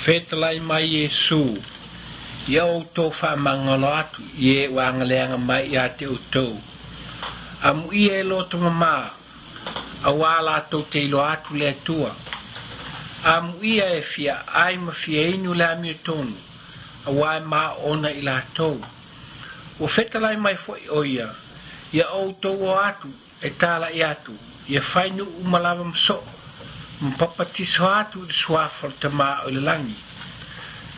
Fetalai mai Iesu, Ia outou faamagalo atu i e ua agaleaga mai ia te outou. Amuia e loto mamā, auā latou te iloa atu le Atua. Amuia e fia ai ma fia inu le amiotonu, auā e maona i latou. Ua fetalai mai foi o ia, ia outou o atu e tala'i atu, ia fai nuu uma lava ma soo, ma papatiso atu i le suafa o le Tamā o i le lagi.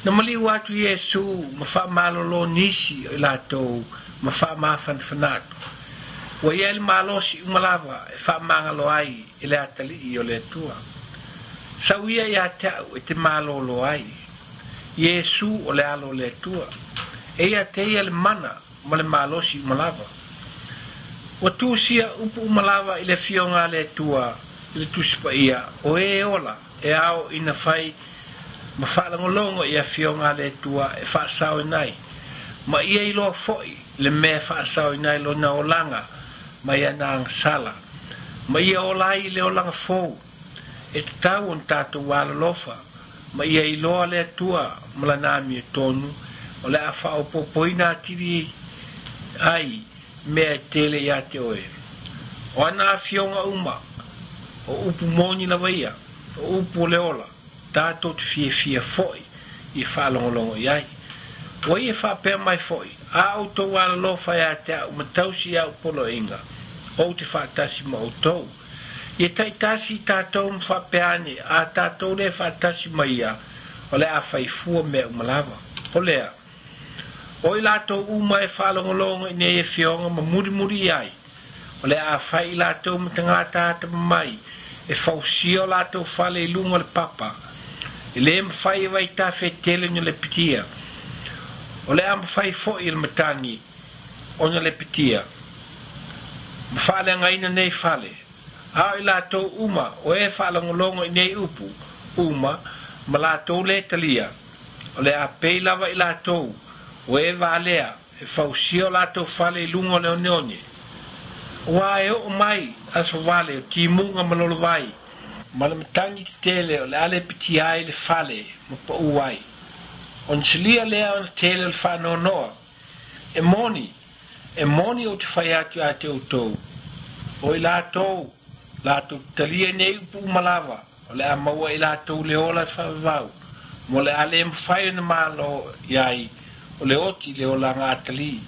Na maliu atu Iesu ma faamalolo nisi o i latou ma faamafanafana atu. Ua i ai le malosi uma lava e faamagalo ai e le atalii o le Atua. Sau ia ia te au e te malolo ai. Iesu o le Alo o le Atua. E ia te ia le mana ma le malosi uma lava. Ua tusia upu uma lava i le Afioga a le Atua i le Tusi Paia, o e ola e ao ina fai ma faalogologo i Afioga a le Atua e faasaoina ai, ma ia iloa foi le mea e faasaoina ai lona olaga mai ana agasala, ma ia ola ai i le olaga fou. E tatau ona tatou alolofa ma ia iloa le Atua ma lana amiotonu o le a faaopoopoina atili ai mea e tele ia te oe. O ana afioga uma, o upu moni lava ia, o upu o le ola, tatou te fiafia foi i faalogologo i ai. Ua ia faapea mai foi, a outou alolofa ia te au ma tausi i au poloaiga, ou te faatasi ma outou. Ia taitasi i tatou ma faapea ane, a tatou le faatasi ma ia, o le a fai fua mea uma lava. O lea, o i latou uma e faalogologo i nei afioga ma mulimuli i ai, o le a fai i latou ma tagata atamamai, e fausia o latou fale i luga o le papa. E le mafai e vaitafe e tele ona lepetia. O le a mafai foi e le matagi ona lepetia ma faaleagaina nei fale. A o i latou uma o e faalogologo i nei upu uma ma latou le talia, o le a pei lava i latou o e valea e fausia o latou fale i luga o le oneone. Auā e oo mai aso vale o timuga ma lolovai, ma le matagi tetele o le a lepetia ai le fale ma paū ai. Ona silia lea ona tele o le faanoanoa. E moni, e moni ou te fai atu ia te outou, o i latou latou te talia nei upu uma lava, o le a maua e i latou le ola e faavavau, ma o le a le mafai ona malo i ai o le oti i le olaga atalii.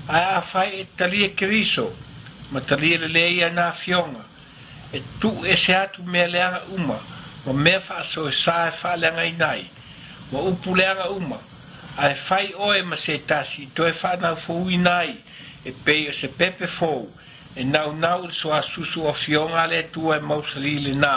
Ae afai e te talia Keriso, ma talia lelei ana afioga, e tuu ese atu mea leaga uma, ma mea faasoesa e faaleagaina ai, ma upu leaga uma, ae fai oe ma se tasi i toe faanaufouina ai e pei o se pepe fou e naunau i le suasusu o Afioga a le Atua e mausalī lenā.